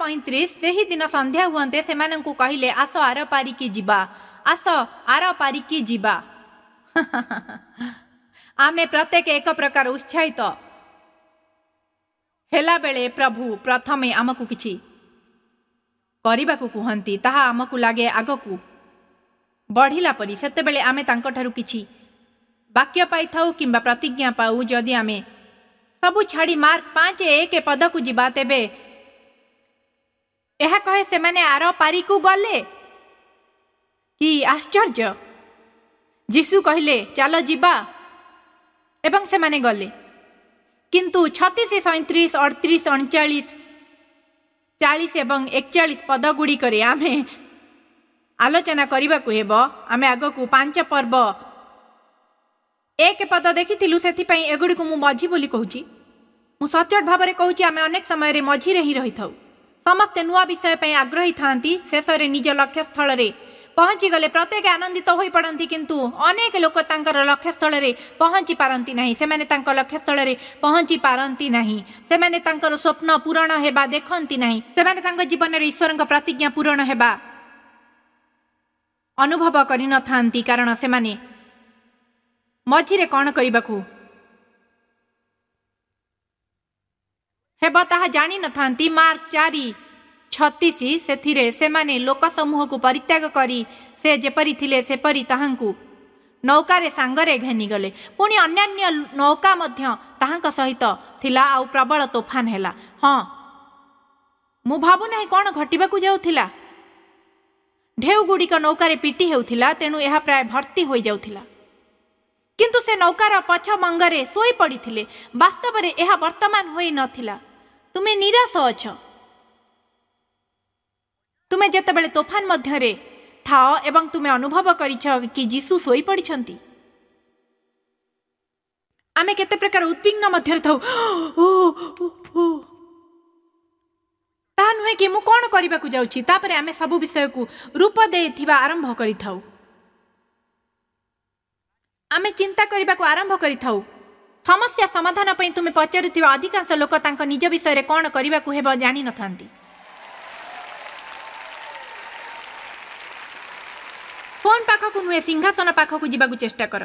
4:35 ସେହିଦିନ ସନ୍ଧ୍ୟା ହୁଅନ୍ତେ ସେମାନଙ୍କୁ କହିଲେ, ଆସ ଆର ପାରିକି ଯିବା, ଆସ ଆର ପାରିକି ଯିବା। ଆମେ ପ୍ରତ୍ୟେକ ଏକ ପ୍ରକାର ଉତ୍ସାହିତ ହେଲାବେଳେ ପ୍ରଭୁ ପ୍ରଥମେ ଆମକୁ କିଛି କରିବାକୁ କୁହନ୍ତି। ତାହା ଆମକୁ ଲାଗେ ଆଗକୁ ବଢ଼ିଲା ପରି। ସେତେବେଳେ ଆମେ ତାଙ୍କଠାରୁ କିଛି ବାକ୍ୟ ପାଇଥାଉ କିମ୍ବା ପ୍ରତିଜ୍ଞା ପାଉ। ଯଦି ଆମେ ସବୁ ଛାଡ଼ି ମାର୍କ 5:1 ପଦକୁ ଯିବା, ତେବେ ଏହା କହେ ସେମାନେ ଆର ପାରିକୁ ଗଲେ। କି ଆଶ୍ଚର୍ଯ୍ୟ! ଯୀଶୁ କହିଲେ ଚାଲ ଯିବା, ଏବଂ ସେମାନେ ଗଲେ। କିନ୍ତୁ 36, 37, 38, 39, 40 ଏବଂ 41 ପଦ ଗୁଡ଼ିକରେ ଆମେ ଆଲୋଚନା କରିବାକୁ ହେବ। ଆମେ ଆଗକୁ 5 ପର୍ବ 1 ପଦ ଦେଖିଥିଲୁ, ସେଥିପାଇଁ ଏଗୁଡ଼ିକୁ ମୁଁ ମଝି ବୋଲି କହୁଛି। ମୁଁ ସଚ୍ଚୋଟ ଭାବରେ କହୁଛି, ଆମେ ଅନେକ ସମୟରେ ମଝିରେ ହିଁ ରହିଥାଉ। ସମସ୍ତେ ନୂଆ ବିଷୟ ପାଇଁ ଆଗ୍ରହୀ ଥାଆନ୍ତି। ଶେଷରେ ନିଜ ଲକ୍ଷ୍ୟସ୍ଥଳରେ ପହଞ୍ଚିଗଲେ ପ୍ରତ୍ୟେକ ଆନନ୍ଦିତ ହୋଇପଡ଼ନ୍ତି, କିନ୍ତୁ ଅନେକ ଲୋକ ତାଙ୍କର ଲକ୍ଷ୍ୟସ୍ଥଳରେ ପହଞ୍ଚି ପାରନ୍ତି ନାହିଁ। ସେମାନେ ତାଙ୍କ ଲକ୍ଷ୍ୟସ୍ଥଳରେ ପହଞ୍ଚି ପାରନ୍ତି ନାହିଁ। ସେମାନେ ତାଙ୍କର ସ୍ୱପ୍ନ ପୂରଣ ହେବା ଦେଖନ୍ତି ନାହିଁ। ସେମାନେ ତାଙ୍କ ଜୀବନରେ ଈଶ୍ୱରଙ୍କ ପ୍ରତିଜ୍ଞା ପୂରଣ ହେବା ଅନୁଭବ କରିନଥାନ୍ତି, କାରଣ ସେମାନେ ମଝିରେ କ'ଣ କରିବାକୁ ହେବ ତାହା ଜାଣିନଥାନ୍ତି। ମାର୍କ 4:36 ସେଥିରେ ସେମାନେ ଲୋକ ସମୂହକୁ ପରିତ୍ୟାଗ କରି ସେ ଯେପରି ଥିଲେ ସେପରି ତାହାଙ୍କୁ ନୌକାରେ ସାଙ୍ଗରେ ଘେନିଗଲେ। ପୁଣି ଅନ୍ୟାନ୍ୟ ନୌକା ମଧ୍ୟ ତାହାଙ୍କ ସହିତ ଥିଲା, ଆଉ ପ୍ରବଳ ତୋଫାନ ହେଲା। ହଁ, ମୁଁ ଭାବୁନାହିଁ କ'ଣ ଘଟିବାକୁ ଯାଉଥିଲା। ଢେଉ ଗୁଡ଼ିକ ନୌକାରେ ପିଟି ହେଉଥିଲା, ତେଣୁ ଏହା ପ୍ରାୟ ଭର୍ତ୍ତି ହୋଇଯାଉଥିଲା। କିନ୍ତୁ ସେ ନୌକାର ପଛ ମଙ୍ଗରେ ଶୋଇ ପଡ଼ିଥିଲେ। ବାସ୍ତବରେ ଏହା ବର୍ତ୍ତମାନ ହୋଇନଥିଲା। ତୁମେ ନିରାଶ ଅଛ। ତୁମେ ଯେତେବେଳେ ତୋଫାନ ମଧ୍ୟରେ ଥାଅ ଏବଂ ତୁମେ ଅନୁଭବ କରିଛ କି ଯୀଶୁ ଶୋଇପଡ଼ିଛନ୍ତି। ଆମେ କେତେ ପ୍ରକାର ଉଦ୍ବିଗ୍ନ ମଧ୍ୟରେ ଥାଉ। ତାହା ନୁହେଁ କି ମୁଁ କ'ଣ କରିବାକୁ ଯାଉଛି। ତାପରେ ଆମେ ସବୁ ବିଷୟକୁ ରୂପ ଦେଇଥିବା ଆରମ୍ଭ କରିଥାଉ। ଆମେ ଚିନ୍ତା କରିବାକୁ ଆରମ୍ଭ କରିଥାଉ। ସମସ୍ୟା ସମାଧାନ ପାଇଁ ତୁମେ ପଚାରୁଥିବା ଅଧିକାଂଶ ଲୋକ ତାଙ୍କ ନିଜ ବିଷୟରେ କ'ଣ କରିବାକୁ ହେବ ଜାଣିନଥାନ୍ତି। ଫୋନ୍ ପାଖକୁ ନୁହେଁ, ସିଂହାସନ ପାଖକୁ ଯିବାକୁ ଚେଷ୍ଟା କର।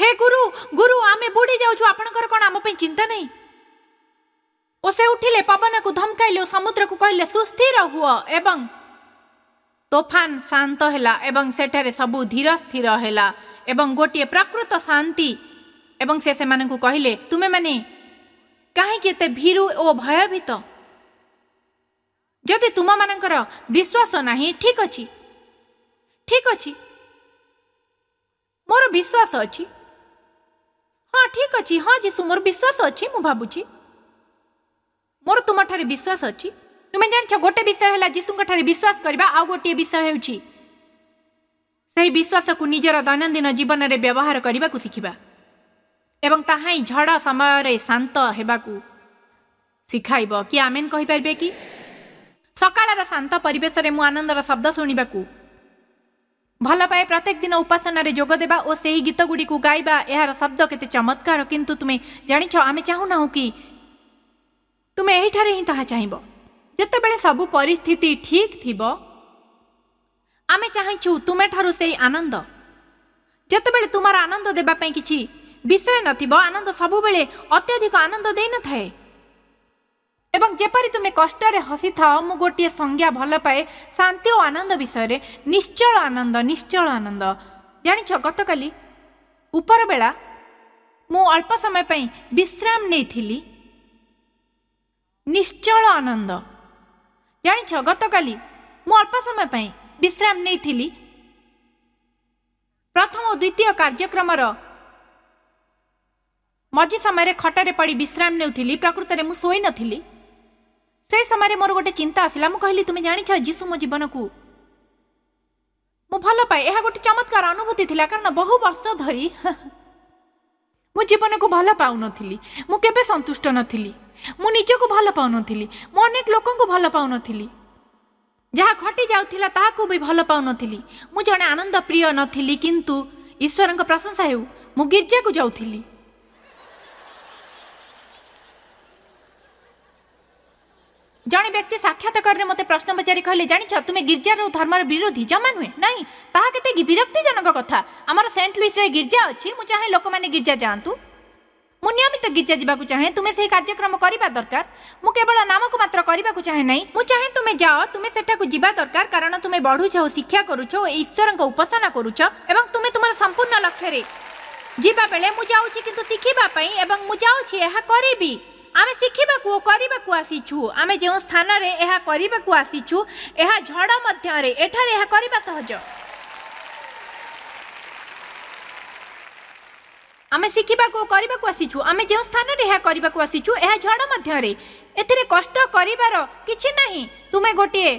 ହେ ଗୁରୁ, ଗୁରୁ, ଆମେ ବୁଡ଼ି ଯାଉଛୁ, ଆପଣଙ୍କର କ'ଣ ଆମ ପାଇଁ ଚିନ୍ତା ନାହିଁ? ଓ ସେ ଉଠିଲେ, ପବନକୁ ଧମକାଇଲେ ଓ ସମୁଦ୍ରକୁ କହିଲେ, ସୁସ୍ଥିର ହୁଅ, ଏବଂ ତୋଫାନ ଶାନ୍ତ ହେଲା ଏବଂ ସେଠାରେ ସବୁ ଧୀର ସ୍ଥିର ହେଲା ଏବଂ ଗୋଟିଏ ପ୍ରକୃତ ଶାନ୍ତି। ଏବଂ ସେ ସେମାନଙ୍କୁ କହିଲେ, ତୁମେମାନେ କାହିଁକି ଏତେ ଭୀରୁ ଓ ଭୟଭୀତ? ଯଦି ତୁମମାନଙ୍କର ବିଶ୍ୱାସ ନାହିଁ, ଠିକ ଅଛି, ଠିକ ଅଛି, ମୋର ବିଶ୍ୱାସ ଅଛି। ହଁ, ଠିକ ଅଛି, ହଁ ଯୀଶୁ, ମୋର ବିଶ୍ୱାସ ଅଛି। ମୁଁ ଭାବୁଛି ମୋର ତୁମଠାରେ ବିଶ୍ୱାସ ଅଛି। ତୁମେ ଜାଣିଛ, ଗୋଟେ ବିଷୟ ହେଲା ଯୀଶୁଙ୍କ ଠାରେ ବିଶ୍ୱାସ କରିବା, ଆଉ ଗୋଟିଏ ବିଷୟ ହେଉଛି ସେହି ବିଶ୍ୱାସକୁ ନିଜର ଦୈନନ୍ଦିନ ଜୀବନରେ ବ୍ୟବହାର କରିବାକୁ ଶିଖିବା, ଏବଂ ତାହା ହିଁ ଝଡ଼ ସମୟରେ ଶାନ୍ତ ହେବାକୁ ଶିଖାଇବ। କି ଆମେନ୍ କହିପାରିବେ କି? ସକାଳର ଶାନ୍ତ ପରିବେଶରେ ମୁଁ ଆନନ୍ଦର ଶବ୍ଦ ଶୁଣିବାକୁ ଭଲ ପାଏ। ପ୍ରତ୍ୟେକ ଦିନ ଉପାସନାରେ ଯୋଗ ଦେବା ଓ ସେହି ଗୀତ ଗୁଡ଼ିକୁ ଗାଇବା, ଏହାର ଶବ୍ଦ କେତେ ଚମତ୍କାର। କିନ୍ତୁ ତୁମେ ଜାଣିଛ, ଆମେ ଚାହୁଁନାହୁଁ କି ତୁମେ ଏହିଠାରେ ହିଁ ତାହା ଚାହିଁବ। ଯେତେବେଳେ ସବୁ ପରିସ୍ଥିତି ଠିକ୍ ଥିବ, ଆମେ ଚାହିଁଛୁ ତୁମେଠାରୁ ସେଇ ଆନନ୍ଦ। ଯେତେବେଳେ ତୁମର ଆନନ୍ଦ ଦେବା ପାଇଁ କିଛି ବିଷୟ ନଥିବ, ଆନନ୍ଦ ସବୁବେଳେ ଅତ୍ୟଧିକ ଆନନ୍ଦ ଦେଇନଥାଏ। ଏବଂ ଯେପରି ତୁମେ କଷ୍ଟରେ ହସିଥାଅ, ମୁଁ ଗୋଟିଏ ସଂଜ୍ଞା ଭଲ ପାଏ ଶାନ୍ତି ଓ ଆନନ୍ଦ ବିଷୟରେ, ନିଶ୍ଚଳ ଆନନ୍ଦ, ନିଶ୍ଚଳ ଆନନ୍ଦ। ଜାଣିଛ, ଗତକାଲି ଉପରବେଳା ମୁଁ ଅଳ୍ପ ସମୟ ପାଇଁ ବିଶ୍ରାମ ନେଇଥିଲି। ନିଶ୍ଚଳ ଆନନ୍ଦ। ଜାଣିଛ, ଗତକାଲି ମୁଁ ଅଳ୍ପ ସମୟ ପାଇଁ ବିଶ୍ରାମ ନେଇଥିଲି। ପ୍ରଥମ ଓ ଦ୍ୱିତୀୟ କାର୍ଯ୍ୟକ୍ରମର ମଝି ସମୟରେ ଖଟରେ ପଡ଼ି ବିଶ୍ରାମ ନେଉଥିଲି। ପ୍ରକୃତରେ ମୁଁ ଶୋଇନଥିଲି। ସେହି ସମୟରେ ମୋର ଗୋଟେ ଚିନ୍ତା ଆସିଲା। ମୁଁ କହିଲି, ତୁମେ ଜାଣିଛ, ଯୀଶୁ ମୋ ଜୀବନକୁ ମୁଁ ଭଲ ପାଏ। ଏହା ଗୋଟେ ଚମତ୍କାର ଅନୁଭୂତି ଥିଲା, କାରଣ ବହୁ ବର୍ଷ ଧରି ମୁଁ ଜୀବନକୁ ଭଲ ପାଉନଥିଲି। ମୁଁ କେବେ ସନ୍ତୁଷ୍ଟ ନଥିଲି। ମୁଁ ନିଜକୁ ଭଲ ପାଉନଥିଲି। ମୁଁ ଅନେକ ଲୋକଙ୍କୁ ଭଲ ପାଉନଥିଲି। ଯାହା ଘଟି ଯାଉଥିଲା ତାହାକୁ ବି ଭଲ ପାଉନଥିଲି। ମୁଁ ଜଣେ ଆନନ୍ଦ ପ୍ରିୟ ନଥିଲି, କିନ୍ତୁ ଈଶ୍ୱରଙ୍କ ପ୍ରଶଂସା ହେଉ, ମୁଁ ଗିର୍ଜାକୁ ଯାଉଥିଲି। ଜଣେ ବ୍ୟକ୍ତି ସାକ୍ଷାତକାରରେ ମୋତେ ପ୍ରଶ୍ନ ପଚାରି କହିଲେ, ଜାଣିଛ ତୁମେ ଗିର୍ଜାର ଓ ଧର୍ମର ବିରୋଧୀ? ଜମା ନୁହେଁ। ନାଇଁ, ତାହା କେତେ ବିରକ୍ତିଜନକ କଥା। ଆମର ସେଣ୍ଟ ଲୁଇସରେ ଗିର୍ଜା ଅଛି। ମୁଁ ଚାହେଁ ଲୋକମାନେ ଗିର୍ଜା ଯାଆନ୍ତୁ। ମୁଁ ନିୟମିତ ଗିର୍ଜା ଯିବାକୁ ଚାହେଁ। ତୁମେ ସେହି କାର୍ଯ୍ୟକ୍ରମ କରିବା ଦରକାର। ମୁଁ କେବଳ ନାମକୁ ମାତ୍ର କରିବାକୁ ଚାହେଁ ନାହିଁ। ମୁଁ ଚାହେଁ ତୁମେ ଯାଅ, ତୁମେ ସେଠାକୁ ଯିବା ଦରକାର, କାରଣ ତୁମେ ବଢୁଛ ଓ ଶିକ୍ଷା କରୁଛ ଓ ଈଶ୍ୱରଙ୍କ ଉପାସନା କରୁଛ ଏବଂ ତୁମେ ତୁମର ସମ୍ପୂର୍ଣ୍ଣ ଲକ୍ଷ୍ୟରେ ଯିବା ବେଳେ ମୁଁ ଯାଉଛି କିନ୍ତୁ ଶିଖିବା ପାଇଁ, ଏବଂ ମୁଁ ଯାଉଛି ଏହା କରିବି। ଆମେ ଶିଖିବାକୁ ଓ କରିବାକୁ ଆସିଛୁ। ଆମେ ଯେଉଁ ସ୍ଥାନରେ ଏହା କରିବାକୁ ଆସିଛୁ, ଏହା ଝଡ଼ ମଧ୍ୟରେ, ଏଠାରେ ଏହା କରିବା ସହଜ। ଆମେ ଶିଖିବାକୁ ଓ କରିବାକୁ ଆସିଛୁ। ଆମେ ଯେଉଁ ସ୍ଥାନରେ ଏହା କରିବାକୁ ଆସିଛୁ, ଏହା ଝଡ଼ ମଧ୍ୟରେ, ଏଥିରେ କଷ୍ଟ କରିବାର କିଛି ନାହିଁ। ତୁମେ ଗୋଟିଏ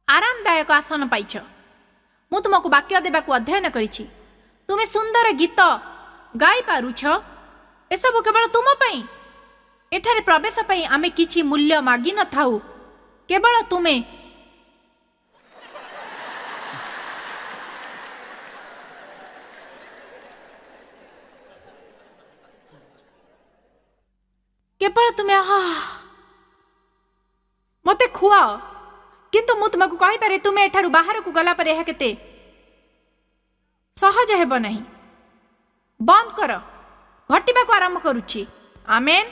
ଆରାମଦାୟକ ଆସନ ପାଇଛ। ମୁଁ ତୁମକୁ ବାକ୍ୟ ଦେବାକୁ ଅଧ୍ୟୟନ କରିଛି। ତୁମେ ସୁନ୍ଦର ଗୀତ ଗାଇପାରୁଛ। ଏସବୁ କେବଳ ତୁମ ପାଇଁ। ଏଠାରେ ପ୍ରବେଶ ପାଇଁ ଆମେ କିଛି ମୂଲ୍ୟ ମାଗିନଥାଉ। କେବଳ ତୁମେ କେବଳ ତୁମେ ମୋତେ ଖୁଆଅ। କିନ୍ତୁ ମୁଁ ତୁମକୁ କହିପାରେ, ତୁମେ ଏଠାରୁ ବାହାରକୁ ଗଲା ପରେ ଏହା କେତେ ସହଜ ହେବ ନାହିଁ। ବନ୍ଦ କର, ଘଟିବାକୁ ଆରମ୍ଭ କରୁଛି। ଆମେନ୍।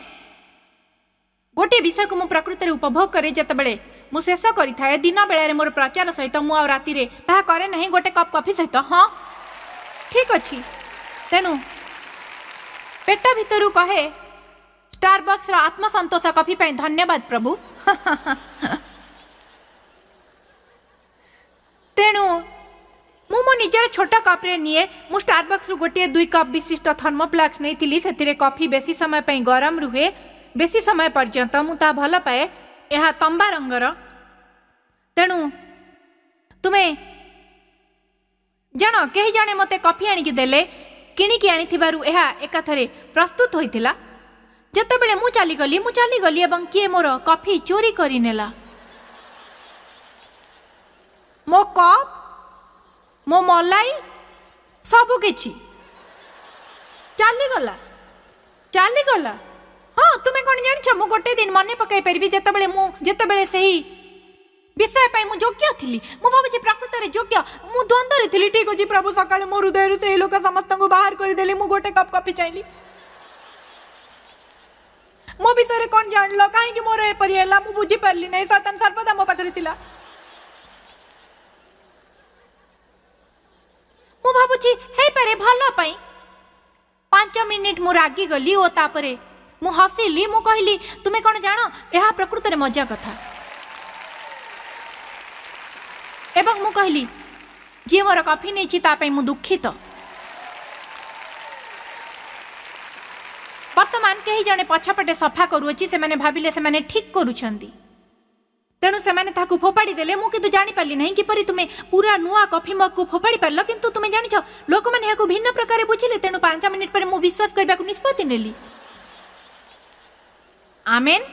ଗୋଟିଏ ବିଷୟକୁ ମୁଁ ପ୍ରକୃତରେ ଉପଭୋଗ କରେ ଯେତେବେଳେ ମୁଁ ଶେଷ କରିଥାଏ ଦିନ ବେଳାରେ ମୋର ପ୍ରଚାର ସହିତ। ମୁଁ ଆଉ ରାତିରେ ତାହା କରେ ନାହିଁ, ଗୋଟେ କପ୍ କଫି ସହିତ। ହଁ, ଠିକ ଅଛି। ତେଣୁ ପେଟ ଭିତରୁ କହେ, ଷ୍ଟାରବକ୍ସର ଆତ୍ମସନ୍ତୋଷ କଫି ପାଇଁ ଧନ୍ୟବାଦ ପ୍ରଭୁ। ତେଣୁ ମୁଁ ମୋ ନିଜର ଛୋଟ କପ୍ରେ ନିଏ। ମୁଁ ଷ୍ଟାରବକ୍ସରୁ ଗୋଟିଏ 2 କପ୍ ବିଶିଷ୍ଟ ଥର୍ମୋଫ୍ଲାକ୍ସ ନେଇଥିଲି। ସେଥିରେ କଫି ବେଶୀ ସମୟ ପାଇଁ ଗରମ ରୁହେ, ବେଶୀ ସମୟ ପର୍ଯ୍ୟନ୍ତ। ମୁଁ ତାହା ଭଲ ପାଏ। ଏହା ତମ୍ବା ରଙ୍ଗର। ତେଣୁ ତୁମେ ଜାଣ, କେହି ଜଣେ ମୋତେ କଫି ଆଣିକି ଦେଲେ। କିଣିକି ଆଣିଥିବାରୁ ଏହା ଏକାଥରେ ପ୍ରସ୍ତୁତ ହୋଇଥିଲା। ଯେତେବେଳେ ମୁଁ ଚାଲିଗଲି ଏବଂ କିଏ ମୋର କଫି ଚୋରି କରିନେଲା। ମୋ କପ୍, ମୋ ମଲାଇ, ସବୁ କିଛି ଚାଲିଗଲା, ଚାଲିଗଲା। ହଁ, ତୁମେ କ'ଣ ଜାଣିଛ, ମୁଁ ଗୋଟେ ଦିନ ମନେ ପକାଇ ପାରିବି ଯେତେବେଳେ ସେହି ବିଷୟ ପାଇଁ ମୁଁ ଯୋଗ୍ୟ ଥିଲି। ମୁଁ ଭାବୁଛି ପ୍ରକୃତରେ ଯୋଗ୍ୟ। ମୁଁ ଦ୍ୱନ୍ଦ୍ୱରେ ଥିଲି। ଠିକ ଅଛି ପ୍ରଭୁ, ସକାଳେ ମୋ ହୃଦୟରୁ ସେହି ଲୋକ ସମସ୍ତଙ୍କୁ ବାହାର କରିଦେଲି। ମୁଁ ଗୋଟେ କପ୍ କଫି ଚାହିଁଲି। ମୋ ବିଷୟରେ କ'ଣ ଜାଣିଲ? କାହିଁକି ମୋର ଏପରି ହେଲା ମୁଁ ବୁଝିପାରିଲି ନାହିଁ। ଶୈତାନ ସର୍ବଦା ମୋ ପାଖରେ ଥିଲା। ମୁଁ ଭାବୁଛି ହେଇପାରେ ଭଲ ପାଇଁ। 5 ମିନିଟ୍ ମୁଁ ରାଗିଗଲି ଓ ତାପରେ ମୁଁ ହସିଲି। ମୁଁ କହିଲି, ତୁମେ କ'ଣ ଜାଣ, ଏହା ପ୍ରକୃତରେ ମଜା କଥା। ଏବଂ ମୁଁ କହିଲି, ଯିଏ ମୋର କଫି ନେଇଛି ତା ପାଇଁ ମୁଁ ଦୁଃଖିତ। ବର୍ତ୍ତମାନ କେହି ଜଣେ ପଛପଟେ ସଫା କରୁଅଛି। ସେମାନେ ଭାବିଲେ ସେମାନେ ଠିକ୍ କରୁଛନ୍ତି, ତେଣୁ ସେମାନେ ତାହାକୁ ଫୋପାଡ଼ି ଦେଲେ। ମୁଁ କିନ୍ତୁ ଜାଣିପାରିଲି ନାହିଁ କିପରି ତୁମେ ପୁରା ନୂଆ କଫି ମଗକୁ ଫୋପାଡ଼ି ପାରିଲ। କିନ୍ତୁ ତୁମେ ଜାଣିଛ, ଲୋକମାନେ ଏହାକୁ ଭିନ୍ନ ପ୍ରକାରେ ବୁଝିଲେ। ତେଣୁ 5 ମିନିଟ୍ ପରେ ମୁଁ ବିଶ୍ୱାସ କରିବାକୁ ନିଷ୍ପତ୍ତି ନେଲି। ଆମେନ୍।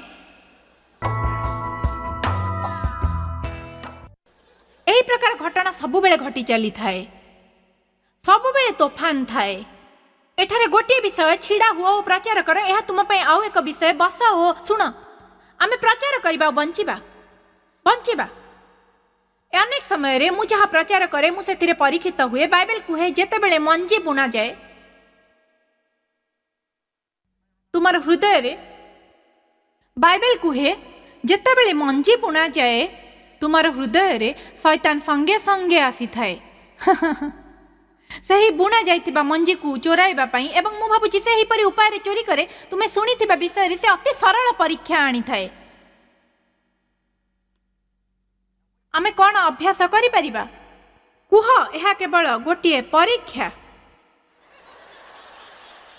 ଏହି ପ୍ରକାର ଘଟଣା ସବୁବେଳେ ଘଟି ଚାଲିଥାଏ, ସବୁବେଳେ ତୋଫାନ ଥାଏ। ଏଠାରେ ଗୋଟିଏ ବିଷୟ, ଛିଡ଼ା ହୁଅ ଓ ପ୍ରଚାର କର। ଏହା ତୁମ ପାଇଁ ଆଉ ଏକ ବିଷୟ, ବସ ଓ ଶୁଣ। ଆମେ ପ୍ରଚାର କରିବା ଓ ବଞ୍ଚିବା, ବଞ୍ଚିବା। ଅନେକ ସମୟରେ ମୁଁ ଯାହା ପ୍ରଚାର କରେ ମୁଁ ସେଥିରେ ପରୀକ୍ଷିତ ହୁଏ। ବାଇବେଲ କୁହେ, ଯେତେବେଳେ ମଞ୍ଜି ବୁଣାଯାଏ ତୁମର ହୃଦୟରେ, ବାଇବେଲ କୁହେ ଯେତେବେଳେ ମଞ୍ଜି ବୁଣାଯାଏ ତୁମର ହୃଦୟରେ, ଶୈତାନ ସଙ୍ଗେ ସଙ୍ଗେ ଆସିଥାଏ ସେହି ବୁଣା ଯାଇଥିବା ମଞ୍ଜିକୁ ଚୋରାଇବା ପାଇଁ। ଏବଂ ମୁଁ ଭାବୁଛି ସେହିପରି ଉପାୟରେ ଚୋରି କରେ। ତୁମେ ଶୁଣିଥିବା ବିଷୟରେ ସେ ଅତି ସରଳ ପରୀକ୍ଷା ଆଣିଥାଏ। ଆମେ କ'ଣ ଅଭ୍ୟାସ କରିପାରିବା? କୁହ, ଏହା କେବଳ ଗୋଟିଏ ପରୀକ୍ଷା।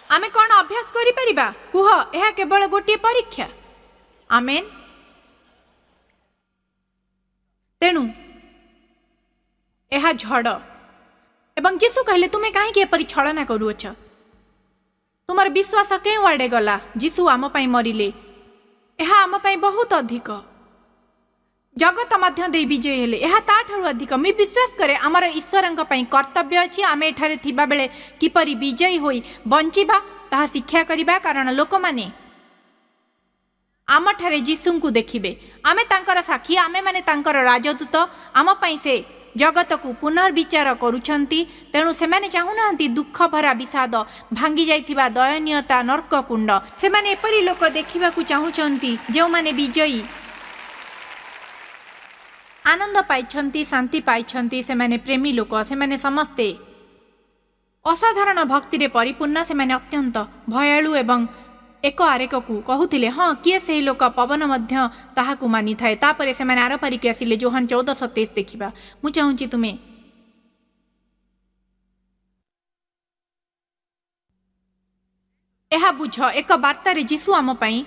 ଆମେ କ'ଣ ଅଭ୍ୟାସ କରିପାରିବା? କୁହ, ଏହା କେବଳ ଗୋଟିଏ ପରୀକ୍ଷା। ଆମେନ୍। ତେଣୁ ଏହା ଝଡ଼। ଏବଂ ଯୀଶୁ କହିଲେ, ତୁମେ କାହିଁକି ଏପରି ଛଳନା କରୁଅଛ? ତୁମର ବିଶ୍ୱାସ କେଉଁ ଆଡ଼େ ଗଲା? ଯୀଶୁ ଆମ ପାଇଁ ମରିଲେ, ଏହା ଆମ ପାଇଁ ବହୁତ ଅଧିକ। ଜଗତ ମଧ୍ୟ ଦେଇ ବିଜୟୀ ହେଲେ। ଏହା ତାଠାରୁ ଅଧିକ। ମୁଁ ବିଶ୍ୱାସ କରେ ଆମର ଈଶ୍ୱରଙ୍କ ପାଇଁ କର୍ତ୍ତବ୍ୟ ଅଛି, ଆମେ ଏଠାରେ ଥିବାବେଳେ କିପରି ବିଜୟୀ ହୋଇ ବଞ୍ଚିବା ତାହା ଶିକ୍ଷା କରିବା, କାରଣ ଲୋକମାନେ ଆମଠାରେ ଯୀଶୁଙ୍କୁ ଦେଖିବେ। ଆମେ ତାଙ୍କର ସାକ୍ଷୀ, ଆମେମାନେ ତାଙ୍କର ରାଜଦୂତ। ଆମ ପାଇଁ ସେ ଜଗତକୁ ପୁନର୍ବିଚାର କରୁଛନ୍ତି। ତେଣୁ ସେମାନେ ଚାହୁଁନାହାନ୍ତି ଦୁଃଖ ଭରା ବିଷାଦ, ଭାଙ୍ଗି ଯାଇଥିବା ଦୟନୀୟତା, ନର୍କକୁଣ୍ଡ। ସେମାନେ ଏପରି ଲୋକ ଦେଖିବାକୁ ଚାହୁଁଛନ୍ତି ଯେଉଁମାନେ ବିଜୟୀ, ଆନନ୍ଦ ପାଇଛନ୍ତି, ଶାନ୍ତି ପାଇଛନ୍ତି। ସେମାନେ ପ୍ରେମୀ ଲୋକ। ସେମାନେ ସମସ୍ତେ ଅସାଧାରଣ ଭକ୍ତିରେ ପରିପୂର୍ଣ୍ଣ। ସେମାନେ ଅତ୍ୟନ୍ତ ଭୟାଳୁ ଏବଂ ଏକ ଆରେକକୁ କହୁଥିଲେ, ହଁ, କିଏ ସେହି ଲୋକ? ପବନ ମଧ୍ୟ ତାହାକୁ ମାନିଥାଏ। ତାପରେ ସେମାନେ ଆରପାରିକୁ ଆସିଲେ। ଯୋହାନ 14:27 ଦେଖିବା। ମୁଁ ଚାହୁଁଛି ତୁମେ ଏହା ବୁଝ। ଏକ ବାର୍ତ୍ତାରେ ଯୀଶୁ ଆମ ପାଇଁ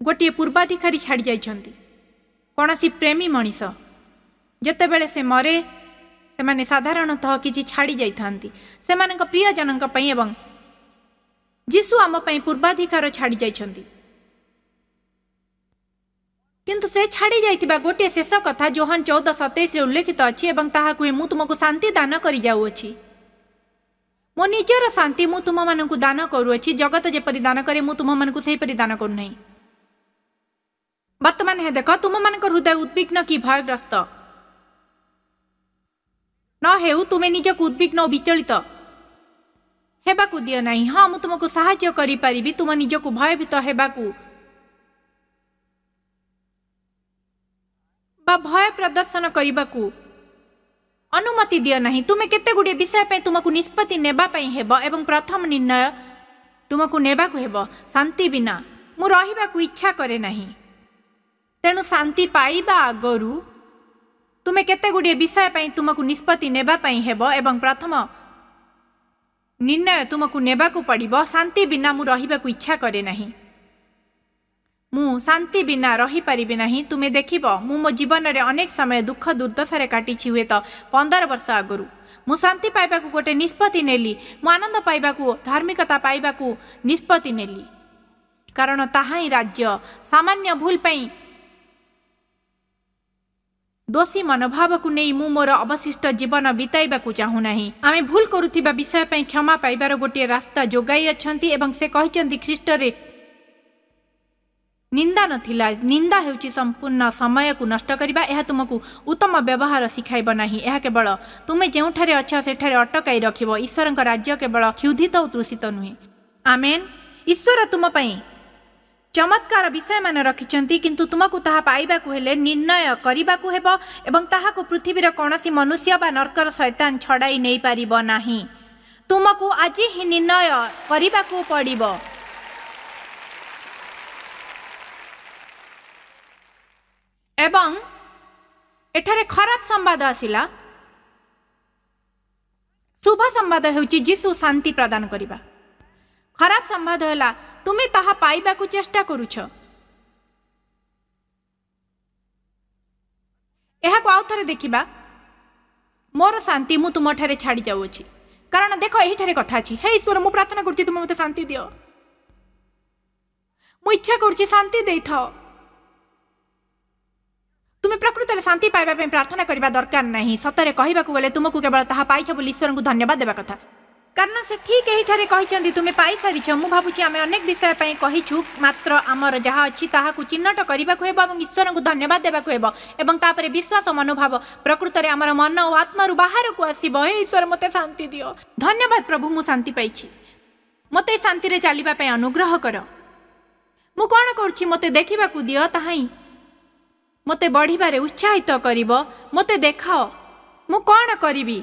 ଗୋଟିଏ ପୂର୍ବାଧିକାରୀ ଛାଡ଼ି ଯାଇଛନ୍ତି। କୌଣସି ପ୍ରେମୀ ମଣିଷ ଯେତେବେଳେ ସେ ମରେ, ସେମାନେ ସାଧାରଣତଃ କିଛି ଛାଡ଼ି ଯାଇଥାନ୍ତି ସେମାନଙ୍କ ପ୍ରିୟଜନଙ୍କ ପାଇଁ, ଏବଂ ଯୀଶୁ ଆମ ପାଇଁ ପୂର୍ବାଧିକାର ଛାଡ଼ି ଯାଇଛନ୍ତି। କିନ୍ତୁ ସେ ଛାଡ଼ି ଯାଇଥିବା ଗୋଟିଏ ଶେଷ କଥା ଯୋହାନ 14:27ରେ ଉଲ୍ଲେଖିତ ଅଛି, ଏବଂ ତାହା କୁହେ, ମୁଁ ତୁମକୁ ଶାନ୍ତି ଦାନ କରି ଯାଉଅଛି। ମୋ ନିଜର ଶାନ୍ତି ମୁଁ ତୁମମାନଙ୍କୁ ଦାନ କରୁଅଛି। ଜଗତ ଯେପରି ଦାନ କରେ, ମୁଁ ତୁମମାନଙ୍କୁ ସେହିପରି ଦାନ କରୁନାହିଁ। ବର୍ତ୍ତମାନ ହେ ଦେଖ, ତୁମମାନଙ୍କ ହୃଦୟ ଉଦ୍ବିଗ୍ନ କି ଭୟଗ୍ରସ୍ତ ନ ହେଉ। ତୁମେ ନିଜକୁ ଉଦ୍ବିଗ୍ନ ଓ ବିଚଳିତ ହେବାକୁ ଦିଅ ନାହିଁ। ହଁ, ମୁଁ ତୁମକୁ ସାହାଯ୍ୟ କରିପାରିବି ତୁମ ନିଜକୁ ଭୟଭୀତ ହେବାକୁ ବା ଭୟ ପ୍ରଦର୍ଶନ କରିବାକୁ ଅନୁମତି ଦିଅ ନାହିଁ। ତୁମେ କେତେ ଗୁଡ଼ିଏ ବିଷୟ ପାଇଁ ତୁମକୁ ନିଷ୍ପତ୍ତି ନେବା ପାଇଁ ହେବ, ଏବଂ ପ୍ରଥମ ନିର୍ଣ୍ଣୟ ତୁମକୁ ନେବାକୁ ହେବ, ଶାନ୍ତି ବିନା ମୁଁ ରହିବାକୁ ଇଚ୍ଛା କରେ ନାହିଁ। ତେଣୁ ଶାନ୍ତି ପାଇବା ଆଗରୁ ତୁମେ କେତେ ଗୁଡ଼ିଏ ବିଷୟ ପାଇଁ ତୁମକୁ ନିଷ୍ପତ୍ତି ନେବା ପାଇଁ ହେବ, ଏବଂ ପ୍ରଥମ ନିର୍ଣ୍ଣୟ ତୁମକୁ ନେବାକୁ ପଡ଼ିବ, ଶାନ୍ତି ବିନା ମୁଁ ରହିବାକୁ ଇଚ୍ଛା କରେ ନାହିଁ। ମୁଁ ଶାନ୍ତି ବିନା ରହିପାରିବି ନାହିଁ। ତୁମେ ଦେଖିବ, ମୁଁ ମୋ ଜୀବନରେ ଅନେକ ସମୟ ଦୁଃଖ ଦୁର୍ଦ୍ଦଶାରେ କାଟିଛି। ହୁଏତ 15 ବର୍ଷ ଆଗରୁ ମୁଁ ଶାନ୍ତି ପାଇବାକୁ ଗୋଟେ ନିଷ୍ପତ୍ତି ନେଲି। ମୁଁ ଆନନ୍ଦ ପାଇବାକୁ, ଧାର୍ମିକତା ପାଇବାକୁ ନିଷ୍ପତ୍ତି ନେଲି, କାରଣ ତାହା ହିଁ ରାଜ୍ୟ। ସାମାନ୍ୟ ଭୁଲ ପାଇଁ ଦୋଷୀ ମନୋଭାବକୁ ନେଇ ମୁଁ ମୋର ଅବଶିଷ୍ଟ ଜୀବନ ବିତାଇବାକୁ ଚାହୁଁନାହିଁ। ଆମେ ଭୁଲ କରୁଥିବା ବିଷୟ ପାଇଁ କ୍ଷମା ପାଇବାର ଗୋଟିଏ ରାସ୍ତା ଯୋଗାଇ ଅଛନ୍ତି, ଏବଂ ସେ କହିଛନ୍ତି ଖ୍ରୀଷ୍ଟରେ ନିନ୍ଦା ନଥିଲା। ନିନ୍ଦା ହେଉଛି ସମ୍ପୂର୍ଣ୍ଣ ସମୟକୁ ନଷ୍ଟ କରିବା। ଏହା ତୁମକୁ ଉତ୍ତମ ବ୍ୟବହାର ଶିଖାଇବ ନାହିଁ। ଏହା କେବଳ ତୁମେ ଯେଉଁଠାରେ ଅଛ ସେଠାରେ ଅଟକାଇ ରଖିବ। ଈଶ୍ୱରଙ୍କ ରାଜ୍ୟ କେବଳ କ୍ଷୁଧିତ ଓ ତୃଷିତ ନୁହେଁ। ଆମେନ୍। ଈଶ୍ୱର ତୁମ ପାଇଁ ଚମତ୍କାର ବିଷୟମାନ ରଖିଛନ୍ତି, କିନ୍ତୁ ତୁମକୁ ତାହା ପାଇବାକୁ ହେଲେ ନିର୍ଣ୍ଣୟ କରିବାକୁ ହେବ, ଏବଂ ତାହାକୁ ପୃଥିବୀର କୌଣସି ମନୁଷ୍ୟ ବା ନର୍କର ଶୈତାନ ଛଡ଼ାଇ ନେଇପାରିବ ନାହିଁ। ତୁମକୁ ଆଜି ହିଁ ନିର୍ଣ୍ଣୟ କରିବାକୁ ପଡ଼ିବ। ଏବଂ ଏଠାରେ ଖରାପ ସମ୍ବାଦ ଆସିଲା। ଶୁଭ ସମ୍ବାଦ ହେଉଛି ଯୀଶୁ ଶାନ୍ତି ପ୍ରଦାନ କରିବା। ଖରାପ ସମ୍ବାଦ ହେଲା ତୁମେ ତାହା ପାଇବାକୁ ଚେଷ୍ଟା କରୁଛ। ଏହାକୁ ଆଉ ଥରେ ଦେଖିବା। ମୋର ଶାନ୍ତି ମୁଁ ତୁମଠାରେ ଛାଡ଼ି ଯାଉଅଛି, କାରଣ ଦେଖ ଏହିଠାରେ କଥା ଅଛି। ହେ ଈଶ୍ୱର, ମୁଁ ପ୍ରାର୍ଥନା କରୁଛି ତୁମେ ମୋତେ ଶାନ୍ତି ଦିଅ। ମୁଁ ଇଚ୍ଛା କରୁଛି ଶାନ୍ତି ଦେଇଥାଅ। ତୁମେ ପ୍ରକୃତରେ ଶାନ୍ତି ପାଇବା ପାଇଁ ପ୍ରାର୍ଥନା କରିବା ଦରକାର ନାହିଁ। ସତରେ କହିବାକୁ ଗଲେ ତୁମକୁ କେବଳ ତାହା ପାଇଛ ବୋଲି ଈଶ୍ୱରଙ୍କୁ ଧନ୍ୟବାଦ ଦେବା କଥା, କାରଣ ସେ ଠିକ୍ ଏହିଠାରେ କହିଛନ୍ତି ତୁମେ ପାଇସାରିଛ। ମୁଁ ଭାବୁଛି ଆମେ ଅନେକ ବିଷୟ ପାଇଁ କହିଛୁ, ମାତ୍ର ଆମର ଯାହା ଅଛି ତାହାକୁ ଚିହ୍ନଟ କରିବାକୁ ହେବ ଏବଂ ଈଶ୍ୱରଙ୍କୁ ଧନ୍ୟବାଦ ଦେବାକୁ ହେବ, ଏବଂ ତାପରେ ବିଶ୍ୱାସ ମନୋଭାବ ପ୍ରକୃତରେ ଆମର ମନ ଓ ଆତ୍ମାରୁ ବାହାରକୁ ଆସିବ। ହେ ଈଶ୍ୱର, ମୋତେ ଶାନ୍ତି ଦିଅ। ଧନ୍ୟବାଦ ପ୍ରଭୁ, ମୁଁ ଶାନ୍ତି ପାଇଛି। ମୋତେ ଶାନ୍ତିରେ ଚାଲିବା ପାଇଁ ଅନୁଗ୍ରହ କର। ମୁଁ କ'ଣ କରୁଛି ମୋତେ ଦେଖିବାକୁ ଦିଅ, ତାହା ହିଁ ମୋତେ ବଢ଼ିବାରେ ଉତ୍ସାହିତ କରିବ। ମୋତେ ଦେଖାଅ ମୁଁ କ'ଣ କରିବି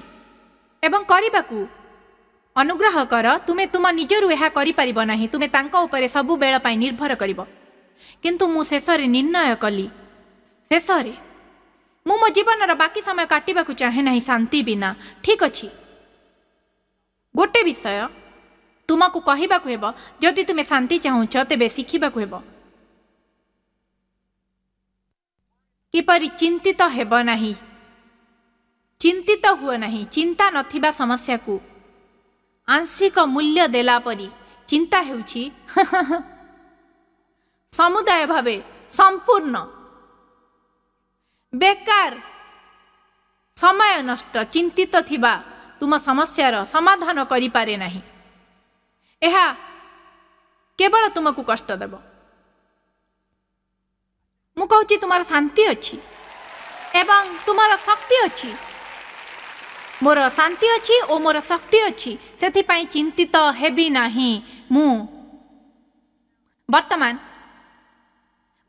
ଏବଂ କରିବାକୁ ଅନୁଗ୍ରହ କର। ତୁମେ ତୁମ ନିଜରୁ ଏହା କରିପାରିବ ନାହିଁ। ତୁମେ ତାଙ୍କ ଉପରେ ସବୁବେଳ ପାଇଁ ନିର୍ଭର କରିବ। କିନ୍ତୁ ମୁଁ ଶେଷରେ ନିର୍ଣ୍ଣୟ କଲି, ଶେଷରେ ମୁଁ ମୋ ଜୀବନର ବାକି ସମୟ କାଟିବାକୁ ଚାହେଁ ନାହିଁ ଶାନ୍ତି ବିନା। ଠିକ୍ ଅଛି, ଗୋଟେ ବିଷୟ ତୁମକୁ କହିବାକୁ ହେବ, ଯଦି ତୁମେ ଶାନ୍ତି ଚାହୁଁଛ ତେବେ ଶିଖିବାକୁ ହେବ କିପରି ଚିନ୍ତିତ ହେବ ନାହିଁ। ଚିନ୍ତିତ ହୁଅ ନାହିଁ। ଚିନ୍ତା ନଥିବା ସମସ୍ୟାକୁ ଆଂଶିକ ମୂଲ୍ୟ ଦେଲା ପରି ଚିନ୍ତା ହେଉଛି ସମୁଦାୟ ଭାବେ ସମ୍ପୂର୍ଣ୍ଣ ବେକାର, ସମୟ ନଷ୍ଟ। ଚିନ୍ତିତ ଥିବା ତୁମ ସମସ୍ୟାର ସମାଧାନ କରିପାରେ ନାହିଁ। ଏହା କେବଳ ତୁମକୁ କଷ୍ଟ ଦେବ। ମୁଁ କହୁଛି ତୁମର ଶାନ୍ତି ଅଛି ଏବଂ ତୁମର ଶକ୍ତି ଅଛି। ମୋର ଶାନ୍ତି ଅଛି ଓ ମୋର ଶକ୍ତି ଅଛି, ସେଥିପାଇଁ ଚିନ୍ତିତ ହେବି ନାହିଁ ମୁଁ। ବର୍ତ୍ତମାନ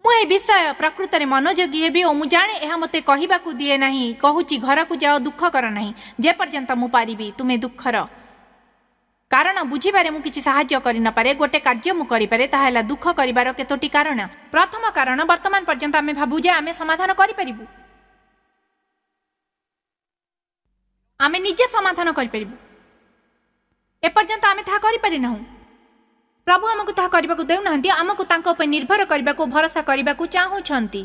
ମୁଁ ଏ ବିଷୟ ପ୍ରକୃତରେ ମନୋଯୋଗୀ ହେବି ଓ ମୁଁ ଜାଣେ ଏହା ମୋତେ କହିବାକୁ ଦିଏ ନାହିଁ। କହୁଛି ଘରକୁ ଯାଅ, ଦୁଃଖ କର ନାହିଁ ଯେପର୍ଯ୍ୟନ୍ତ ମୁଁ ପାରିବି। ତୁମେ ଦୁଃଖର କାରଣ ବୁଝିବାରେ ମୁଁ କିଛି ସାହାଯ୍ୟ କରିନପାରେ। ଗୋଟେ କାର୍ଯ୍ୟ ମୁଁ କରିପାରେ, ତାହା ହେଲା ଦୁଃଖ କରିବାର କେତୋଟି କାରଣ। ପ୍ରଥମ କାରଣ, ବର୍ତ୍ତମାନ ପର୍ଯ୍ୟନ୍ତ ଆମେ ଭାବୁ ଯେ ଆମେ ସମାଧାନ କରିପାରିବୁ, ଆମେ ନିଜେ ସମାଧାନ କରିପାରିବୁ। ଏପର୍ଯ୍ୟନ୍ତ ଆମେ ତାହା କରିପାରିନାହୁଁ। ପ୍ରଭୁ ଆମକୁ ତାହା କରିବାକୁ ଦେଉନାହାନ୍ତି। ଆମକୁ ତାଙ୍କ ଉପରେ ନିର୍ଭର କରିବାକୁ, ଭରସା କରିବାକୁ ଚାହୁଁଛନ୍ତି।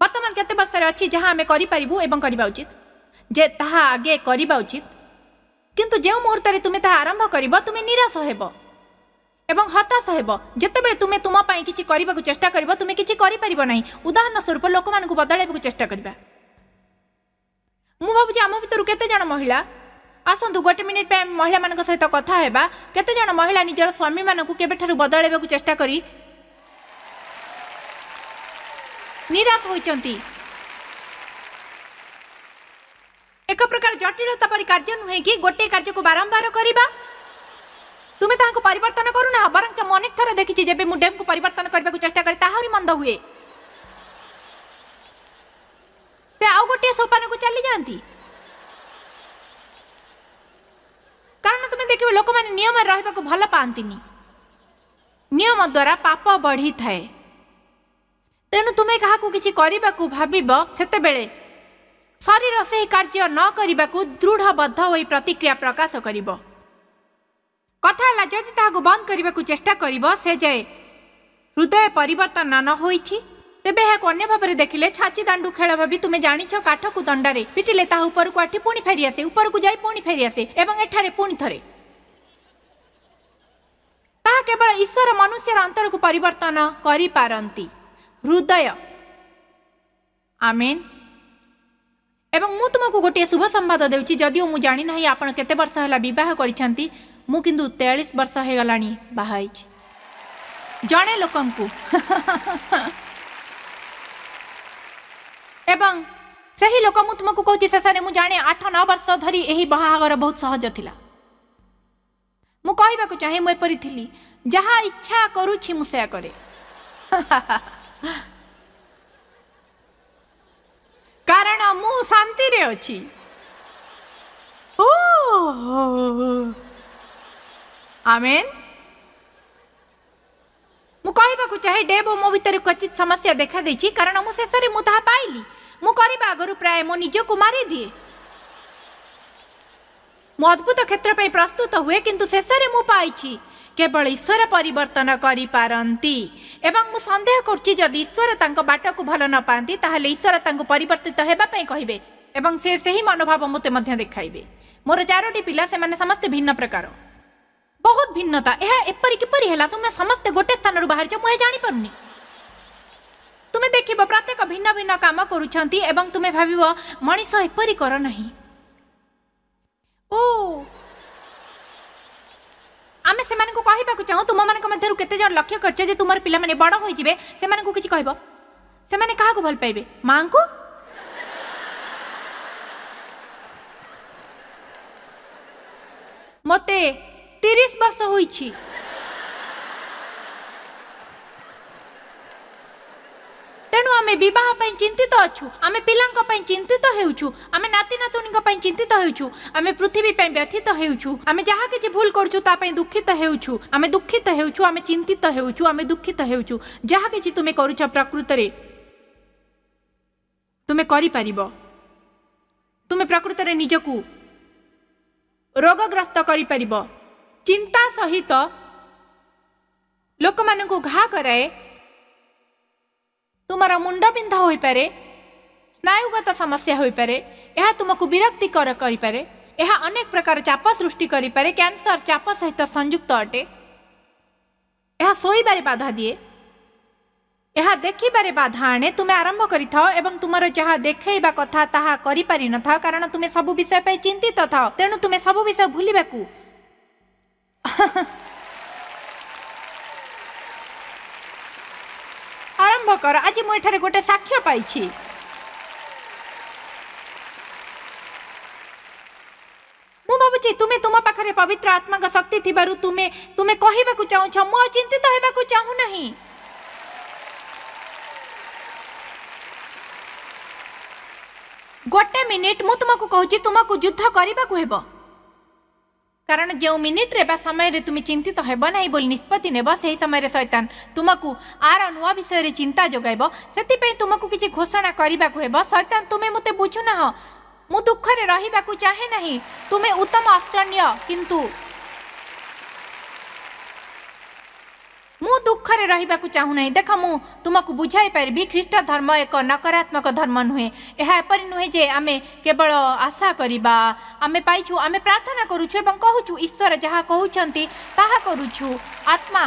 ବର୍ତ୍ତମାନ କେତେ ବର୍ଷରେ ଅଛି ଯାହା ଆମେ କରିପାରିବୁ ଏବଂ କରିବା ଉଚିତ, ଯେ ତାହା ଆଗେ କରିବା ଉଚିତ। କିନ୍ତୁ ଯେଉଁ ମୁହୂର୍ତ୍ତରେ ତୁମେ ତାହା ଆରମ୍ଭ କରିବ, ତୁମେ ନିରାଶ ହେବ ଏବଂ ହତାଶ ହେବ। ଯେତେବେଳେ ତୁମେ ତୁମ ପାଇଁ କିଛି କରିବାକୁ ଚେଷ୍ଟା କରିବ, ତୁମେ କିଛି କରିପାରିବ ନାହିଁ। ଉଦାହରଣ ସ୍ୱରୂପ ଲୋକମାନଙ୍କୁ ବଦଳାଇବାକୁ ଚେଷ୍ଟା କରିବା। ମୁଁ ଭାବୁଛି ଆମ ଭିତରୁ କେତେ ଜଣ ମହିଳା, ଆସନ୍ତୁ ଗୋଟେ ମିନିଟ୍ ପାଇଁ ମହିଳାମାନଙ୍କ ସହିତ କଥା ହେବା। କେତେ ଜଣ ମହିଳା ନିଜର ସ୍ୱାମୀମାନଙ୍କୁ କେବେଠାରୁ ବଦଳାଇବାକୁ ଚେଷ୍ଟା କରି ନିରାଶ ହୋଇଛନ୍ତି? ଏକ ପ୍ରକାର ଜଟିଳତା ପରି କାର୍ଯ୍ୟ ନୁହେଁ କି ଗୋଟିଏ କାର୍ଯ୍ୟକୁ ବାରମ୍ବାର କରିବା? ତୁମେ ତାହାକୁ ପରିବର୍ତ୍ତନ କରୁନାହ, ବରଂ ମୁଁ ଅନେକ ଥର ଦେଖିଛି ଯେବେ ମୁଁ ଡେମ୍କୁ ପରିବର୍ତ୍ତନ କରିବାକୁ ଚେଷ୍ଟା କରେ ତାହା ଆହୁରି ମନ୍ଦ ହୁଏ। ସେ ଆଉ ଗୋଟିଏ ସୋପାନକୁ ଚାଲିଯାଆନ୍ତି। କାରଣ ତୁମେ ଦେଖିବ ଲୋକମାନେ ନିୟମରେ ରହିବାକୁ ଭଲ ପାଆନ୍ତିନି। ନିୟମ ଦ୍ୱାରା ପାପ ବଢ଼ିଥାଏ। ତେଣୁ ତୁମେ କାହାକୁ କିଛି କରିବାକୁ ଭାବିବ, ସେତେବେଳେ ଶରୀର ସେହି କାର୍ଯ୍ୟ ନ କରିବାକୁ ଦୃଢ଼ବଦ୍ଧ ହୋଇ ପ୍ରତିକ୍ରିୟା ପ୍ରକାଶ କରିବ। କଥା ହେଲା, ଯଦି ତାହାକୁ ବନ୍ଦ କରିବାକୁ ଚେଷ୍ଟା କରିବ ସେ ଯାଏ ହୃଦୟ ପରିବର୍ତ୍ତନ ନ ହୋଇଛି, ତେବେ ଏହାକୁ ଅନ୍ୟ ଭାବରେ ଦେଖିଲେ ଛାଚି ଦାଣ୍ଡୁ ଖେଳ ଭାବି ତୁମେ ଜାଣିଛ, କାଠକୁ ଦଣ୍ଡାରେ ପିଟିଲେ ତାହା ଉପରକୁ ଆଠି ପୁଣି ଫେରିଆସେ, ଉପରକୁ ଯାଇ ପୁଣି ଫେରିଆସେ, ଏବଂ ଏଠାରେ ପୁଣି ଥରେ ତାହା କେବଳ ଈଶ୍ୱର ମନୁଷ୍ୟର ଅନ୍ତରକୁ ପରିବର୍ତ୍ତନ କରିପାରନ୍ତି, ହୃଦୟ। ଆମେନ୍। ଏବଂ ମୁଁ ତୁମକୁ ଗୋଟିଏ ଶୁଭ ସମ୍ବାଦ ଦେଉଛି। ଯଦିଓ ମୁଁ ଜାଣିନାହିଁ ଆପଣ କେତେ ବର୍ଷ ହେଲା ବିବାହ କରିଛନ୍ତି, ମୁଁ କିନ୍ତୁ 43 ବର୍ଷ ହେଇଗଲାଣି ବାହା ହେଇଛି ଜଣେ ଲୋକଙ୍କୁ। ଏବଂ ସେହି ଲୋକ, ମୁଁ ତୁମକୁ କହୁଛି, ଶେଷରେ ମୁଁ ଜାଣେ 8-9 ବର୍ଷ ଧରି ଏହି ବାହାଘର ବହୁତ ସହଜ ଥିଲା। ମୁଁ କହିବାକୁ ଚାହେଁ ମୁଁ ଏପରି ଥିଲି, ଯାହା ଇଚ୍ଛା କରୁଛି ମୁଁ ସେୟା କରେ, କାରଣ ମୁଁ ଶାନ୍ତିରେ ଅଛି। ଓ ଆମେନ୍। ମୁଁ କହିବାକୁ ଚାହେଁ ଡେବ୍ ଓ ମୋ ଭିତରେ କ୍ୱଚିତ ସମସ୍ୟା ଦେଖାଦେଇଛି, କାରଣ ମୁଁ ଶେଷରେ ମୁଁ ତାହା ପାଇଲି। ମୁଁ କରିବା ଆଗରୁ ପ୍ରାୟ ମୋ ନିଜକୁ ମାରିଦିଏ। ମୁଁ ଅଦ୍ଭୁତ କ୍ଷେତ୍ର ପାଇଁ ପ୍ରସ୍ତୁତ ହୁଏ, କିନ୍ତୁ ଶେଷରେ ମୁଁ ପାଇଛି କେବଳ ଈଶ୍ୱର ପରିବର୍ତ୍ତନ କରିପାରନ୍ତି। ଏବଂ ମୁଁ ସନ୍ଦେହ କରୁଛି ଯଦି ଈଶ୍ୱର ତାଙ୍କ ବାଟକୁ ଭଲ ନ ପାଆନ୍ତି, ତାହେଲେ ଈଶ୍ୱର ତାଙ୍କୁ ପରିବର୍ତ୍ତିତ ହେବା ପାଇଁ କହିବେ ଏବଂ ସେ ସେହି ମନୋଭାବ ମୋତେ ମଧ୍ୟ ଦେଖାଇବେ। ମୋର 4ଟି ପିଲା, ସେମାନେ ସମସ୍ତେ ଭିନ୍ନ ପ୍ରକାର, ବହୁତ ଭିନ୍ନତା। ଏହା ଏପରି କିପରି ହେଲା? ତୁମେ ସମସ୍ତେ ଗୋଟେ ସ୍ଥାନରୁ ବାହାରିଛ, ମୁଁ ଏହା ଜାଣିପାରୁନି। ତୁମେ ଦେଖିବ ପ୍ରତ୍ୟେକ ଭିନ୍ନ ଭିନ୍ନ କାମ କରୁଛନ୍ତି ଏବଂ ତୁମେ ଭାବିବ ମଣିଷ ଏପରି କର ନାହିଁ। ଓ ଆମେ ସେମାନଙ୍କୁ କହିବାକୁ ଚାହୁଁ, ତୁମମାନଙ୍କ ମଧ୍ୟରୁ କେତେ ଜଣ ଲକ୍ଷ୍ୟ କରିଛ ଯେ ତୁମର ପିଲାମାନେ ବଡ଼ ହୋଇଯିବେ, ସେମାନଙ୍କୁ କିଛି କହିବ, ସେମାନେ କାହାକୁ ଭଲ ପାଇବେ? ମାଙ୍କୁ? ମୋତେ 30 ବର୍ଷ ହୋଇଛି। ତେଣୁ ଆମେ ବିବାହ ପାଇଁ ଚିନ୍ତିତ ଅଛୁ, ଆମେ ପିଲାଙ୍କ ପାଇଁ ଚିନ୍ତିତ ହେଉଛୁ, ଆମେ ନାତି ନାତୁଣୀଙ୍କ ପାଇଁ ଚିନ୍ତିତ ହେଉଛୁ, ଆମେ ପୃଥିବୀ ପାଇଁ ବ୍ୟଥିତ ହେଉଛୁ, ଆମେ ଯାହା କିଛି ଭୁଲ କରୁଛୁ ତା ପାଇଁ ଦୁଃଖିତ ହେଉଛୁ, ଆମେ ଦୁଃଖିତ ହେଉଛୁ, ଆମେ ଚିନ୍ତିତ ହେଉଛୁ, ଆମେ ଦୁଃଖିତ ହେଉଛୁ। ଯାହା କିଛି ତୁମେ କରୁଛ ପ୍ରକୃତରେ ତୁମେ କରିପାରିବ। ତୁମେ ପ୍ରକୃତରେ ନିଜକୁ ରୋଗଗ୍ରସ୍ତ କରିପାରିବ। ଚିନ୍ତା ସହିତ ଲୋକମାନଙ୍କୁ ଘା କରାଏ। ତୁମର ମୁଣ୍ଡବିନ୍ଧା ହୋଇପାରେ, ସ୍ନାୟୁଗତ ସମସ୍ୟା ହୋଇପାରେ, ଏହା ତୁମକୁ ବିରକ୍ତିକର କରିପାରେ, ଏହା ଅନେକ ପ୍ରକାର ଚାପ ସୃଷ୍ଟି କରିପାରେ। କ୍ୟାନ୍ସର ଚାପ ସହିତ ସଂଯୁକ୍ତ ଅଟେ। ଏହା ଶୋଇବାରେ ବାଧା ଦିଏ। ଏହା ଦେଖିବାରେ ବାଧା ଆଣେ। ତୁମେ ଆରମ୍ଭ କରିଥାଅ ଏବଂ ତୁମର ଯାହା ଦେଖେଇବା କଥା ତାହା କରିପାରିନଥାଅ, କାରଣ ତୁମେ ସବୁ ବିଷୟ ପାଇଁ ଚିନ୍ତିତ ଥାଅ। ତେଣୁ ତୁମେ ସବୁ ବିଷୟ ଭୁଲିବାକୁ ଆରମ୍ଭ କର। ଆଜି ମୁଁ ଏଠାରେ ଗୋଟେ ସାକ୍ଷ୍ୟ ପାଇଛି। ମୁଁ ଭାବୁଛି ତୁମେ ତୁମ ପାଖରେ ପବିତ୍ର ଆତ୍ମାଙ୍କ ଶକ୍ତି ଥିବାରୁ ତୁମେ ତୁମେ କହିବାକୁ ଚାହୁଁଛ, ମୁଁ ଆଉ ଚିନ୍ତିତ ହେବାକୁ ଚାହୁଁନାହିଁ। ଗୋଟେ ମିନିଟ୍, ମୁଁ ତୁମକୁ କହୁଛି, ତୁମକୁ ଯୁଦ୍ଧ କରିବାକୁ ହେବ। କାରଣ ଯେଉଁ ମିନିଟ୍ରେ ବା ସମୟରେ ତୁମେ ଚିନ୍ତିତ ହେବ ନାହିଁ ବୋଲି ନିଷ୍ପତ୍ତି ନେବ, ସେହି ସମୟରେ ଶୈତାନ ତୁମକୁ ଆର ନୂଆ ବିଷୟରେ ଚିନ୍ତା ଯୋଗାଇବ। ସେଥିପାଇଁ ତୁମକୁ କିଛି ଘୋଷଣା କରିବାକୁ ହେବ। ଶୈତାନ, ତୁମେ ମୋତେ ବୁଝୁନାହଁ, ମୁଁ ଦୁଃଖରେ ରହିବାକୁ ଚାହେଁ ନାହିଁ। ତୁମେ ଉତ୍ତମ ଅସ୍ତ୍ର ନିଅ, କିନ୍ତୁ ମୁଁ ଦୁଃଖରେ ରହିବାକୁ ଚାହୁଁନାହିଁ। ଦେଖ, ମୁଁ ତୁମକୁ ବୁଝାଇ ପାରିବି, ଖ୍ରୀଷ୍ଟ ଧର୍ମ ଏକ ନକାରାତ୍ମକ ଧର୍ମ ନୁହେଁ। ଏହା ଏପରି ନୁହେଁ ଯେ ଆମେ କେବଳ ଆଶା କରିବା, ଆମେ ପାଇଛୁ, ଆମେ ପ୍ରାର୍ଥନା କରୁଛୁ ଏବଂ କହୁଛୁ ଈଶ୍ୱର ଯାହା କହୁଛନ୍ତି ତାହା କରୁଛୁ। ଆତ୍ମା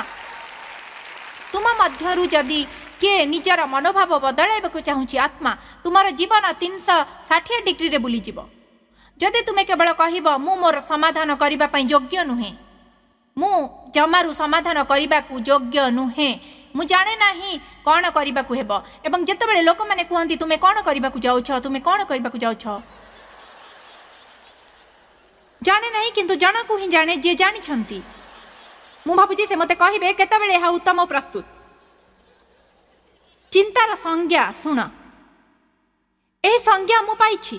ତୁମ ମଧ୍ୟରୁ ଯଦି କିଏ ନିଜର ମନୋଭାବ ବଦଳାଇବାକୁ ଚାହୁଁଛି, ଆତ୍ମା ତୁମର ଜୀବନ 360 ଡିଗ୍ରୀରେ ବୁଲିଯିବ। ଯଦି ତୁମେ କେବଳ କହିବ ମୁଁ ମୋର ସମାଧାନ କରିବା ପାଇଁ ଯୋଗ୍ୟ ନୁହେଁ, ମୁଁ ଜମାରୁ ସମାଧାନ କରିବାକୁ ଯୋଗ୍ୟ ନୁହେଁ, ମୁଁ ଜାଣେ ନାହିଁ କ'ଣ କରିବାକୁ ହେବ, ଏବଂ ଯେତେବେଳେ ଲୋକମାନେ କୁହନ୍ତି ତୁମେ କ'ଣ କରିବାକୁ ଯାଉଛ, ତୁମେ କ'ଣ କରିବାକୁ ଯାଉଛ, ଜାଣେ ନାହିଁ, କିନ୍ତୁ ଜଣକୁ ହିଁ ଜାଣେ ଯିଏ ଜାଣିଛନ୍ତି। ମୁଁ ଭାବୁଛି ସେ ମୋତେ କହିବେ କେତେବେଳେ ଏହା ଉତ୍ତମ ପ୍ରସ୍ତୁତ। ଚିନ୍ତାର ସଂଜ୍ଞା ଶୁଣ। ଏହି ସଂଜ୍ଞା ମୁଁ ପାଇଛି।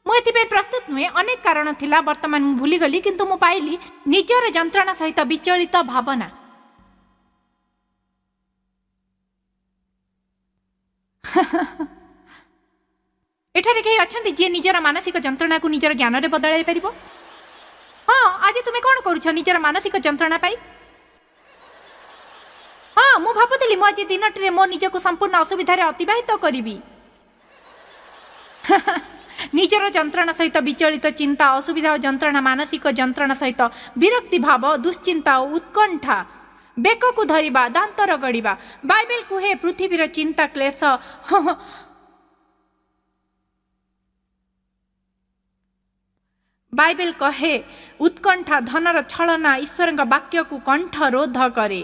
ମୁଁ ଏଥିପାଇଁ ପ୍ରସ୍ତୁତ ନୁହେଁ। ଅନେକ କାରଣ ଥିଲା, ବର୍ତ୍ତମାନ ମୁଁ ଭୁଲିଗଲି, କିନ୍ତୁ ମୁଁ ପାଇଲି ନିଜର ଯନ୍ତ୍ରଣା ସହିତ ବିଚଳିତ ଭାବନା। ଏଠାରେ କେହି ଅଛନ୍ତି ଯିଏ ନିଜର ମାନସିକ ଯନ୍ତ୍ରଣାକୁ ନିଜର ଜ୍ଞାନରେ ବଦଳାଇ ପାରିବ? ହଁ, ଆଜି ତୁମେ କ'ଣ କରୁଛ ନିଜର ମାନସିକ ଯନ୍ତ୍ରଣା ପାଇଁ? ହଁ, ମୁଁ ଭାବୁଥିଲି ମୁଁ ଆଜି ଦିନଟିରେ ମୋ ନିଜକୁ ସମ୍ପୂର୍ଣ୍ଣ ଅସୁବିଧାରେ ଅତିବାହିତ କରିବି। ନିଜର ଯନ୍ତ୍ରଣା ସହିତ ବିଚଳିତ ଚିନ୍ତା, ଅସୁବିଧା ଓ ଯନ୍ତ୍ରଣା, ମାନସିକ ଯନ୍ତ୍ରଣା ସହିତ ବିରକ୍ତି ଭାବ, ଦୁଶ୍ଚିନ୍ତା ଓ ଉତ୍କଣ୍ଠା, ବେକକୁ ଧରିବା, ଦାନ୍ତ ରଗଡ଼ିବା। ବାଇବେଲ କୁହେ ପୃଥିବୀର ଚିନ୍ତା କ୍ଲେଶ। ବାଇବେଲ କହେ ଉତ୍କଣ୍ଠା ଧନର ଛଳନା ଈଶ୍ୱରଙ୍କ ବାକ୍ୟକୁ କଣ୍ଠ ରୋଧ କରେ।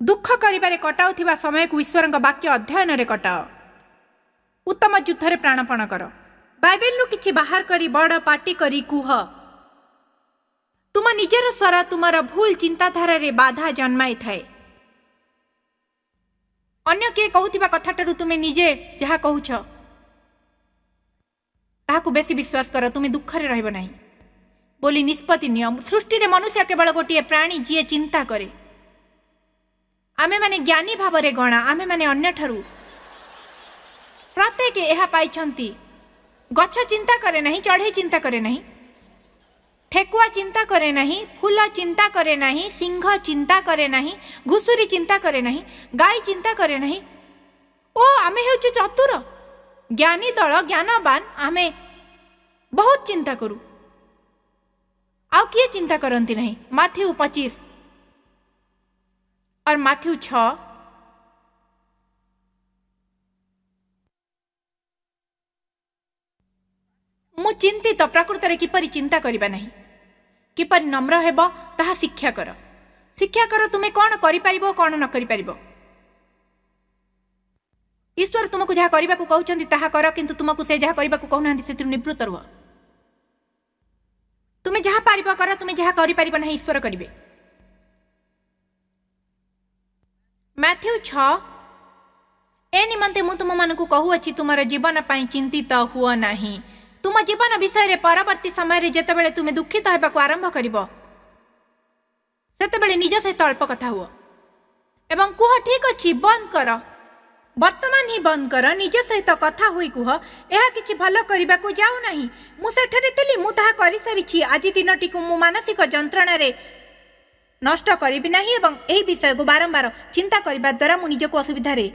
ଦୁଃଖ କରିବାରେ କଟାଉଥିବା ସମୟକୁ ଈଶ୍ୱରଙ୍କ ବାକ୍ୟ ଅଧ୍ୟୟନରେ କଟାଅ। ଉତ୍ତମ ଯୁଦ୍ଧରେ ପ୍ରାଣପଣ କର। ବାଇବେଲରୁ କିଛି ବାହାର କରି ବଡ଼ ପାଟି କରି କୁହ। ତୁମ ନିଜର ସ୍ୱର ତୁମର ଭୁଲ ଚିନ୍ତାଧାରାରେ ବାଧା ଜନ୍ମାଇଥାଏ। ଅନ୍ୟ କିଏ କହୁଥିବା କଥାଟାରୁ ତୁମେ ନିଜେ ଯାହା କହୁଛ ତାହାକୁ ବେଶୀ ବିଶ୍ୱାସ କର। ତୁମେ ଦୁଃଖରେ ରହିବ ନାହିଁ ବୋଲି ନିଷ୍ପତ୍ତି ନିଅ। ସୃଷ୍ଟିରେ ମନୁଷ୍ୟ କେବଳ ଗୋଟିଏ ପ୍ରାଣୀ ଯିଏ ଚିନ୍ତା କରେ। ଆମେମାନେ ଜ୍ଞାନୀ ଭାବରେ ଗଣା, ଆମେମାନେ ଅନ୍ୟଠାରୁ ପ୍ରତ୍ୟେକ ଏହା ପାଇଛନ୍ତି। ଗଛ ଚିନ୍ତା କରେ ନାହିଁ, ଚଢ଼େଇ ଚିନ୍ତା କରେ ନାହିଁ, ଠେକୁଆ ଚିନ୍ତା କରେ ନାହିଁ, ଫୁଲ ଚିନ୍ତା କରେ ନାହିଁ, ସିଂହ ଚିନ୍ତା କରେ ନାହିଁ, ଘୁଷୁରୀ ଚିନ୍ତା କରେ ନାହିଁ, ଗାଈ ଚିନ୍ତା କରେ ନାହିଁ। ଓ ଆମେ ହେଉଛୁ ଚତୁର, ଜ୍ଞାନୀ ଦଳ, ଜ୍ଞାନବାନ। ଆମେ ବହୁତ ଚିନ୍ତା କରୁ, ଆଉ କିଏ ଚିନ୍ତା କରନ୍ତି ନାହିଁ। ମାଥ୍ୟୁ 25 और ମାଥ୍ୟୁ 6 ମୁଁ ଚିନ୍ତିତ। ପ୍ରକୃତରେ କିପରି ଚିନ୍ତା କରିବା ନାହିଁ, କିପରି ନମ୍ର ହେବ ତାହା ଶିକ୍ଷା କର। ଶିକ୍ଷା କର ତୁମେ କ'ଣ କରିପାରିବ, କ'ଣ ନ କରିପାରିବ। ଈଶ୍ୱର ତୁମକୁ ଯାହା କରିବାକୁ କହୁଛନ୍ତି ତାହା କର, କିନ୍ତୁ ତୁମକୁ ସେ ଯାହା କରିବାକୁ କହୁନାହାନ୍ତି ସେଥିରୁ ନିବୃତ୍ତ ରୁହ। ତୁମେ ଯାହା ପାରିବ କର, ତୁମେ ଯାହା କରିପାରିବ ନାହିଁ ଈଶ୍ୱର କରିବେ। ମାଥ୍ୟୁ 6 ଏ ନିମନ୍ତେ ମୁଁ ତୁମମାନଙ୍କୁ କହୁଅଛି, ତୁମର ଜୀବନ ପାଇଁ ଚିନ୍ତିତ ହୁଅ ନାହିଁ। ତୁମ ଜୀବନ ବିଷୟରେ ପରବର୍ତ୍ତୀ ସମୟରେ ଯେତେବେଳେ ତୁମେ ଦୁଃଖିତ ହେବାକୁ ଆରମ୍ଭ କରିବ, ସେତେବେଳେ ନିଜ ସହିତ ଅଳ୍ପ କଥା ହୁଅ ଏବଂ କୁହ, ଠିକ ଅଛି, ବନ୍ଦ କର, ବର୍ତ୍ତମାନ ହିଁ ବନ୍ଦ କର। ନିଜ ସହିତ କଥା ହୋଇ କୁହ, ଏହା କିଛି ଭଲ କରିବାକୁ ଯାଉନାହିଁ। ମୁଁ ସେଠାରେ ଥିଲି, ମୁଁ ତାହା କରିସାରିଛି। ଆଜି ଦିନଟିକୁ ମୁଁ ମାନସିକ ଯନ୍ତ୍ରଣାରେ ନଷ୍ଟ କରିବି ନାହିଁ ଏବଂ ଏହି ବିଷୟକୁ ବାରମ୍ବାର ଚିନ୍ତା କରିବା ଦ୍ୱାରା ମୁଁ ନିଜକୁ ଅସୁବିଧାରେ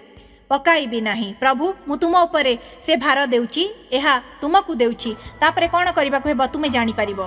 ପକାଇବି ନାହିଁ। ପ୍ରଭୁ, ମୁଁ ତୁମ ଉପରେ ସେ ଭାର ଦେଉଛି, ଏହା ତୁମକୁ ଦେଉଛି। ତାପରେ କ'ଣ କରିବାକୁ ହେବ ତୁମେ ଜାଣିପାରିବ।